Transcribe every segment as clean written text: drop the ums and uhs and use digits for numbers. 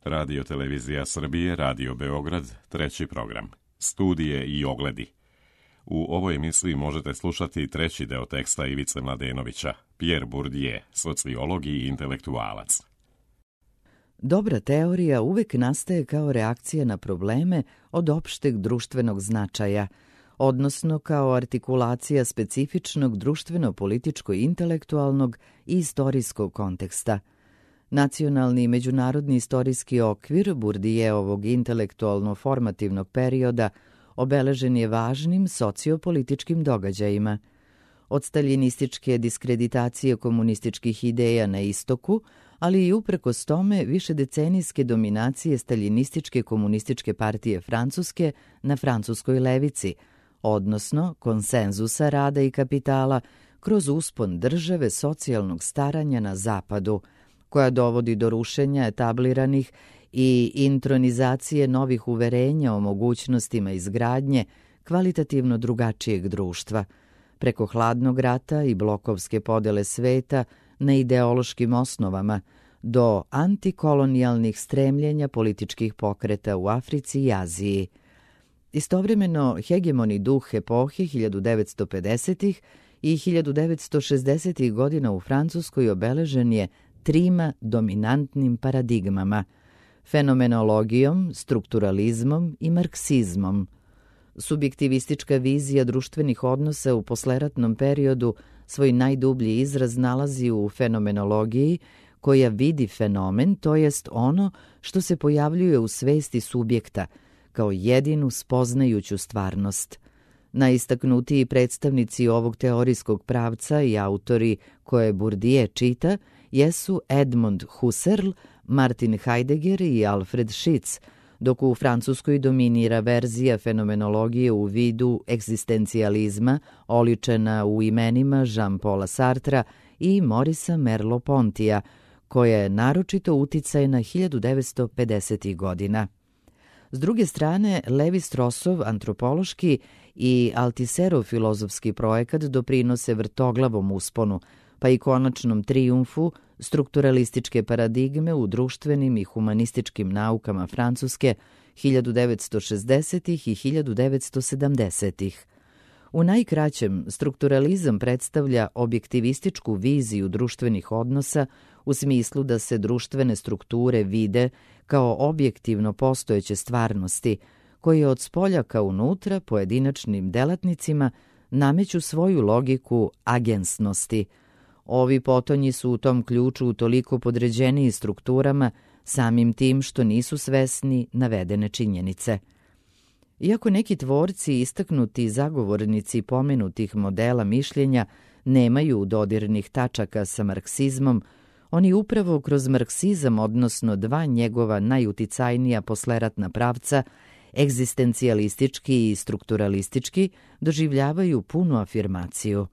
Radio Televizija Srbije, Radio Beograd, treći program. Studije i ogledi. U ovoj emisiji možete slušati treći deo teksta Ivice Mladenovića, Pierre Bourdieu, sociolog i intelektualac. Dobra teorija uvek nastaje kao reakcija na probleme od opšteg društvenog značaja, odnosno kao artikulacija specifičnog društveno-političko-intelektualnog i istorijskog konteksta. Nacionalni i međunarodni istorijski okvir Bourdieuovog intelektualno-formativnog perioda obeležen je važnim sociopolitičkim događajima. Od staljinističke diskreditacije komunističkih ideja na istoku, ali i uprkos tome višedecenijske dominacije staljinističke komunističke partije Francuske na francuskoj levici, odnosno konsenzusa rada i kapitala kroz uspon države socijalnog staranja na zapadu, koja dovodi do rušenja etabliranih i intronizacije novih uverenja o mogućnostima izgradnje kvalitativno drugačijeg društva, preko hladnog rata i blokovske podele sveta na ideološkim osnovama, do antikolonijalnih stremljenja političkih pokreta u Africi i Aziji. Istovremeno, hegemoni duh epohe 1950. i 1960. godina u Francuskoj obeležen je trima dominantnim paradigmama: fenomenologijom, strukturalizmom i marksizmom. Subjektivistička vizija društvenih odnosa u posleratnom periodu svoj najdublji izraz nalazi u fenomenologiji, koja vidi fenomen, to jest ono što se pojavljuje u svesti subjekta, kao jedinu spoznajuću stvarnost. Najistaknutiji predstavnici ovog teorijskog pravca i autori koje Bourdieu čita jesu Edmond Husserl, Martin Heidegger i Alfred Schitz, dok u Francuskoj dominira verzija fenomenologije u vidu egzistencijalizma, oličena u imenima Jean-Paula Sartra i Maurice Merleau-Pontija, koja je naročito uticajna 1950. godina. S druge strane, Levi-Strossov antropološki i Althusserov filozofski projekat doprinose vrtoglavom usponu, pa i konačnom trijumfu strukturalističke paradigme u društvenim i humanističkim naukama Francuske 1960. i 1970. U najkraćem, strukturalizam predstavlja objektivističku viziju društvenih odnosa u smislu da se društvene strukture vide kao objektivno postojeće stvarnosti, koje od spolja ka unutra pojedinačnim delatnicima nameću svoju logiku agensnosti. Ovi potonji su u tom ključu toliko podređeniji strukturama samim tim što nisu svesni navedene činjenice. Iako neki tvorci istaknuti zagovornici pomenutih modela mišljenja nemaju dodirnih tačaka sa marksizmom, oni upravo kroz marksizam, odnosno dva njegova najuticajnija posleratna pravca, egzistencijalistički i strukturalistički, doživljavaju punu afirmaciju.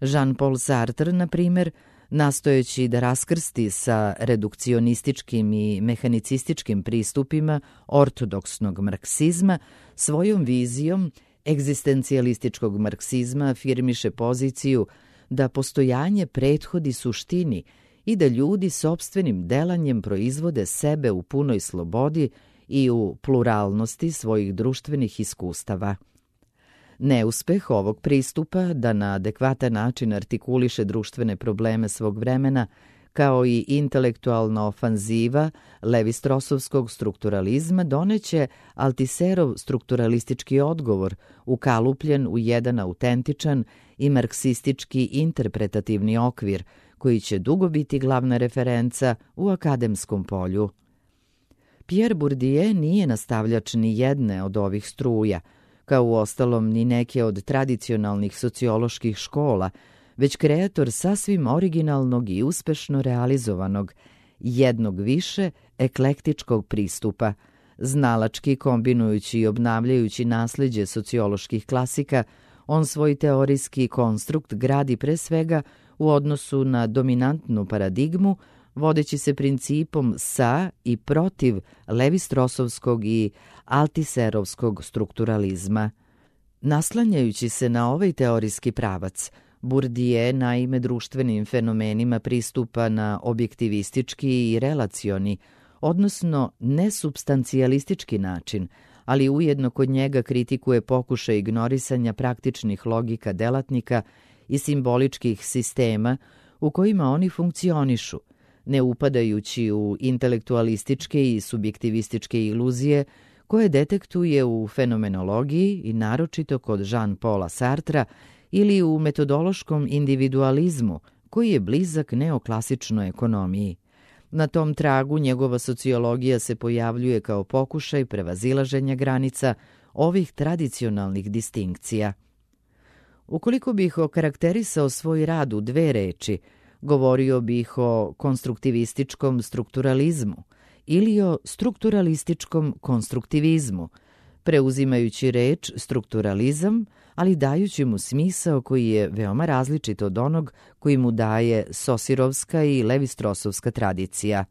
Jean-Paul Sartre, na primjer, nastojeći da raskrsti sa redukcionističkim i mehanicističkim pristupima ortodoksnog marksizma, svojom vizijom egzistencijalističkog marksizma afirmiše poziciju da postojanje prethodi suštini i da ljudi sopstvenim delanjem proizvode sebe u punoj slobodi i u pluralnosti svojih društvenih iskustava. Neuspeh ovog pristupa da na adekvatan način artikuliše društvene probleme svog vremena, kao i intelektualna ofanziva Levi-Strossovskog strukturalizma, doneće Althusserov strukturalistički odgovor, ukalupljen u jedan autentičan i marksistički interpretativni okvir, koji će dugo biti glavna referenca u akademskom polju. Pierre Bourdieu nije nastavljač ni jedne od ovih struja, kao uostalom ni neke od tradicionalnih socioloških škola, već kreator sasvim originalnog i uspešno realizovanog, jednog više eklektičkog pristupa, znalački kombinujući i obnavljajući nasleđe socioloških klasika, on svoj teorijski konstrukt gradi pre svega u odnosu na dominantnu paradigmu, vodeći se principom sa i protiv Levi-Strossovskog i Althusserovskog strukturalizma. Naslanjajući se na ovaj teorijski pravac, Bourdieu naime društvenim fenomenima pristupa na objektivistički i relacioni, odnosno nesupstancijalistički način, ali ujedno kod njega kritikuje pokušaj ignorisanja praktičnih logika delatnika i simboličkih sistema u kojima oni funkcionišu, ne upadajući u intelektualističke i subjektivističke iluzije koje detektuje u fenomenologiji i naročito kod Jean-Paula Sartra ili u metodološkom individualizmu koji je blizak neoklasičnoj ekonomiji. Na tom tragu njegova sociologija se pojavljuje kao pokušaj prevazilaženja granica ovih tradicionalnih distinkcija. Ukoliko bih okarakterisao svoj rad u 2 reči, govorio bih o konstruktivističkom strukturalizmu ili o strukturalističkom konstruktivizmu, preuzimajući reč strukturalizam, ali dajući mu smisao koji je veoma različit od onog koji mu daje Sosirovska i Levi-Strosovska tradicija.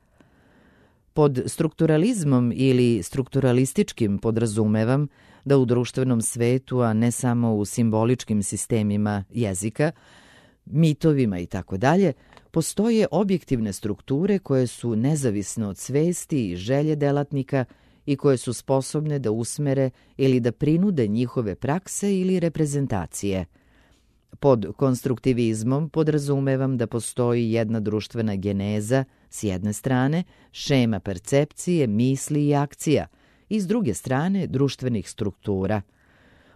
Pod strukturalizmom ili strukturalističkim podrazumevam da u društvenom svetu, a ne samo u simboličkim sistemima jezika, mitovima itd., postoje objektivne strukture koje su nezavisne od svesti i želje delatnika i koje su sposobne da usmere ili da prinude njihove prakse ili reprezentacije. Pod konstruktivizmom podrazumevam da postoji jedna društvena geneza s jedne strane, šema percepcije, misli i akcija, i s druge strane društvenih struktura.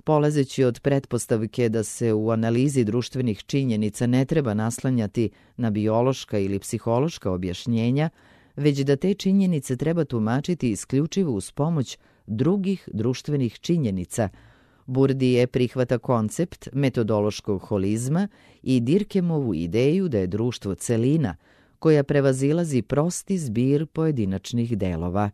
Polazeći od pretpostavke da se u analizi društvenih činjenica ne treba naslanjati na biološka ili psihološka objašnjenja, već da te činjenice treba tumačiti isključivo uz pomoć drugih društvenih činjenica, Bourdieu prihvata koncept metodološkog holizma i Dirkemovu ideju da je društvo celina, koja prevazilazi prosti zbir pojedinačnih delova.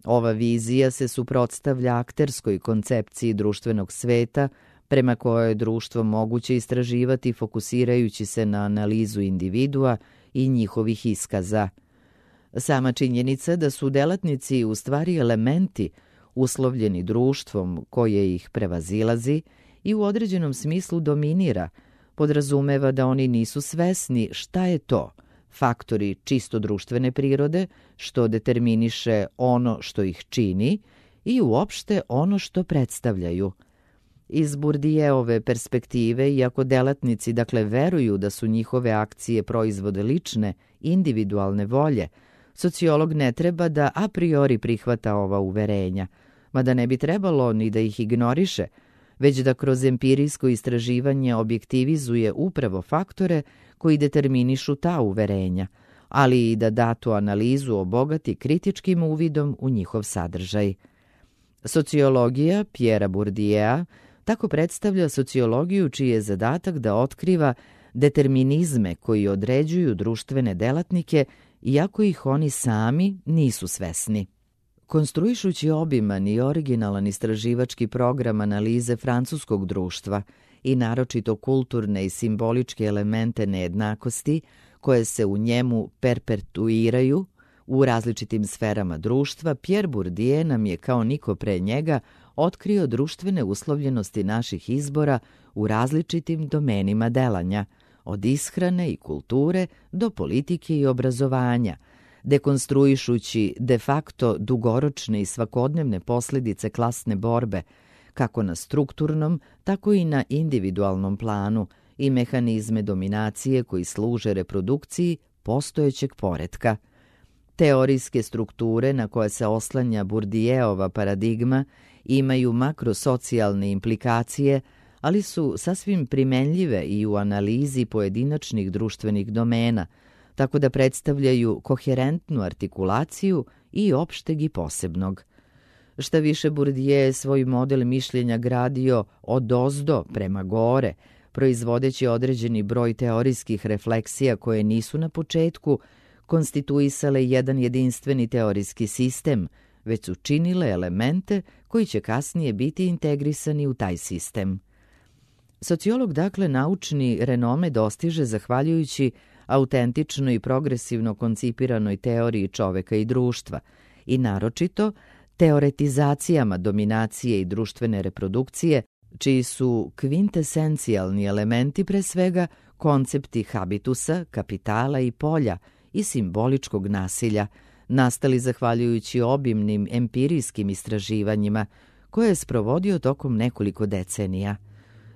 Ova vizija se suprotstavlja akterskoj koncepciji društvenog sveta, prema kojoj je društvo moguće istraživati fokusirajući se na analizu individua i njihovih iskaza. Sama činjenica da su delatnici u stvari elementi uslovljeni društvom koje ih prevazilazi i u određenom smislu dominira, podrazumeva da oni nisu svesni šta je to, faktori čisto društvene prirode, što determiniše ono što ih čini i uopšte ono što predstavljaju. Iz Bourdieove perspektive, iako delatnici veruju da su njihove akcije proizvod lične, individualne volje, sociolog ne treba da a priori prihvata ova uverenja, mada ne bi trebalo ni da ih ignoriše, već da kroz empirijsko istraživanje objektivizuje upravo faktore koji determinišu ta uverenja, ali i da datu analizu obogati kritičkim uvidom u njihov sadržaj. Sociologija Pierre Bourdieu tako predstavlja sociologiju čiji je zadatak da otkriva determinizme koji određuju društvene delatnike, iako ih oni sami nisu svesni. Konstruišući obiman i originalan istraživački program analize francuskog društva i naročito kulturne i simboličke elemente nejednakosti koje se u njemu perpetuiraju u različitim sferama društva, Pierre Bourdieu nam je kao niko pre njega otkrio društvene uslovljenosti naših izbora u različitim domenima delanja, od ishrane i kulture do politike i obrazovanja, dekonstruišući de facto dugoročne i svakodnevne posljedice klasne borbe, kako na strukturnom, tako i na individualnom planu, i mehanizme dominacije koji služe reprodukciji postojećeg poretka. Teorijske strukture na koje se oslanja Bourdieova paradigma imaju makrosocijalne implikacije, ali su sasvim primenljive i u analizi pojedinačnih društvenih domena, tako da predstavljaju koherentnu artikulaciju i opšteg i posebnog. Šta više, Bourdieu je svoj model mišljenja gradio odozdo prema gore, proizvodeći određeni broj teorijskih refleksija koje nisu na početku konstituisale jedan jedinstveni teorijski sistem, već su činile elemente koji će kasnije biti integrisani u taj sistem. Sociolog naučni renome dostiže zahvaljujući autentično i progresivno koncipiranoj teoriji čoveka i društva i naročito teoretizacijama dominacije i društvene reprodukcije, čiji su kvintesencijalni elementi pre svega koncepti habitusa, kapitala i polja i simboličkog nasilja, nastali zahvaljujući obimnim empirijskim istraživanjima koje je sprovodio tokom nekoliko decenija.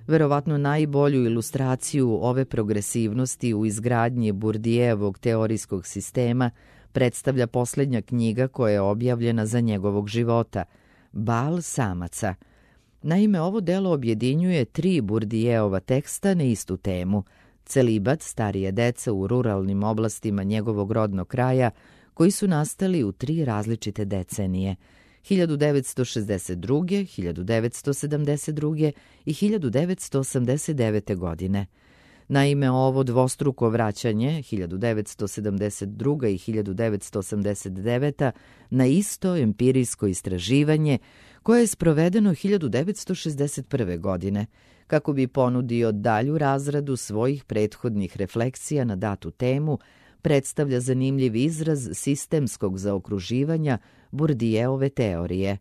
Verovatno najbolju ilustraciju ove progresivnosti u izgradnji Bourdieuovog teorijskog sistema predstavlja posljednja knjiga koja je objavljena za njegovog života, Bal samaca. Naime, ovo delo objedinjuje 3 Bourdieuova teksta na istu temu, celibat starije dece u ruralnim oblastima njegovog rodnog kraja, koji su nastali u 3 različite decenije, 1962., 1972. i 1989. godine. Naime, ovo dvostruko vraćanje, 1972. i 1989. na isto empirijsko istraživanje, koje je sprovedeno 1961. godine, kako bi ponudio dalju razradu svojih prethodnih refleksija na datu temu, predstavlja zanimljiv izraz sistemskog zaokruživanja Bourdieuove teorije.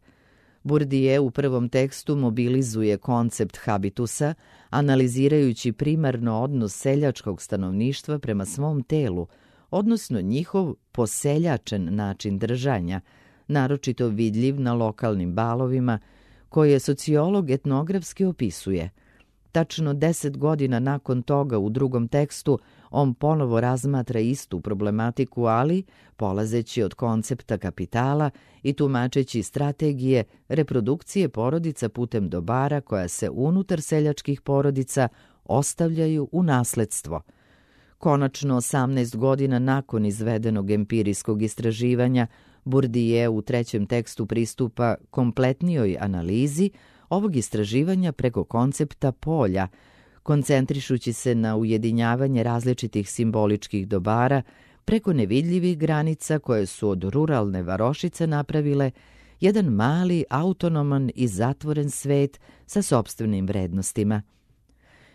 Bourdieu u prvom tekstu mobilizuje koncept habitusa, analizirajući primarno odnos seljačkog stanovništva prema svom telu, odnosno njihov poseljačen način držanja, naročito vidljiv na lokalnim balovima, koje sociolog etnografski opisuje. Tačno 10 godina nakon toga u drugom tekstu on ponovo razmatra istu problematiku, ali polazeći od koncepta kapitala i tumačeći strategije reprodukcije porodica putem dobara koja se unutar seljačkih porodica ostavljaju u nasledstvo. Konačno, 18 godina nakon izvedenog empirijskog istraživanja, Bourdieu u trećem tekstu pristupa kompletnijoj analizi ovog istraživanja preko koncepta polja, koncentrišući se na ujedinjavanje različitih simboličkih dobara preko nevidljivih granica koje su od ruralne varošice napravile jedan mali, autonoman i zatvoren svet sa sopstvenim vrednostima.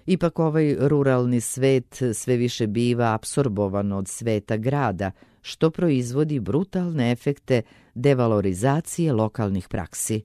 Ipak ovaj ruralni svet sve više biva apsorbovan od sveta grada, što proizvodi brutalne efekte devalorizacije lokalnih praksi.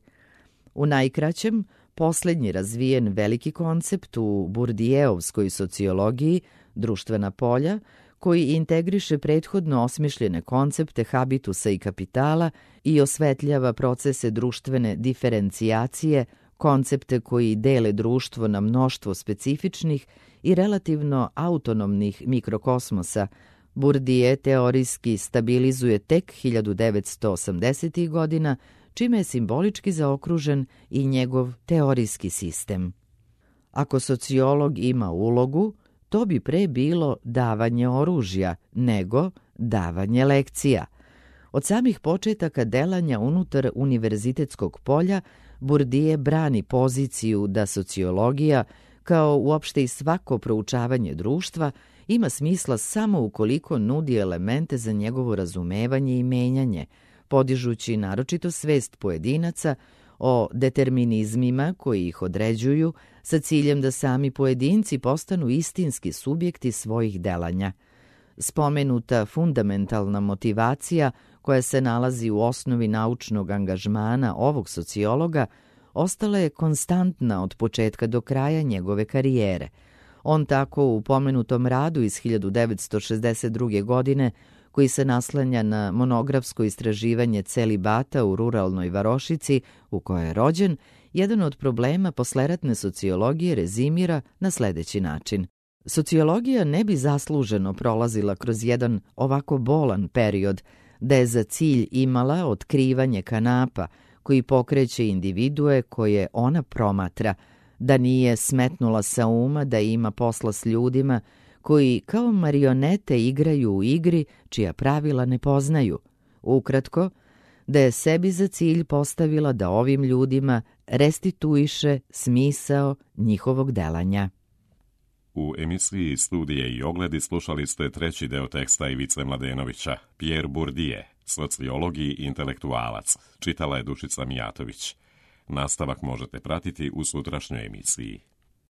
U najkraćem, posljednji razvijen veliki koncept u Bourdieuovskoj sociologiji, društvena polja, koji integriše prethodno osmišljene koncepte habitusa i kapitala i osvetljava procese društvene diferencijacije, koncepte koji dele društvo na mnoštvo specifičnih i relativno autonomnih mikrokosmosa, Bourdieu teorijski stabilizuje tek 1980. godina, čime je simbolički zaokružen i njegov teorijski sistem. Ako sociolog ima ulogu, to bi pre bilo davanje oružja nego davanje lekcija. Od samih početaka delanja unutar univerzitetskog polja, Bourdieu brani poziciju da sociologija, kao uopšte i svako proučavanje društva, ima smisla samo ukoliko nudi elemente za njegovo razumevanje i menjanje, podižući naročito svest pojedinaca o determinizmima koji ih određuju sa ciljem da sami pojedinci postanu istinski subjekti svojih delanja. Spomenuta fundamentalna motivacija koja se nalazi u osnovi naučnog angažmana ovog sociologa ostala je konstantna od početka do kraja njegove karijere. On tako u pomenutom radu iz 1962. godine, koji se naslanja na monografsko istraživanje celibata u ruralnoj varošici u kojoj je rođen, jedan od problema posleratne sociologije rezimira na sledeći način. Sociologija ne bi zasluženo prolazila kroz jedan ovako bolan period, da je za cilj imala otkrivanje kanapa koji pokreće individue koje ona promatra, da nije smetnula sa uma da ima posla s ljudima koji kao marionete igraju u igri čija pravila ne poznaju. Ukratko, da je sebi za cilj postavila da ovim ljudima restituiše smisao njihovog delanja. U emisiji Studije i ogledi slušali ste treći deo teksta Ivice Mladenovića, Pierre Bourdieu, sociolog i intelektualac. Čitala je Dušica Mijatović. Nastavak možete pratiti u sutrašnjoj emisiji.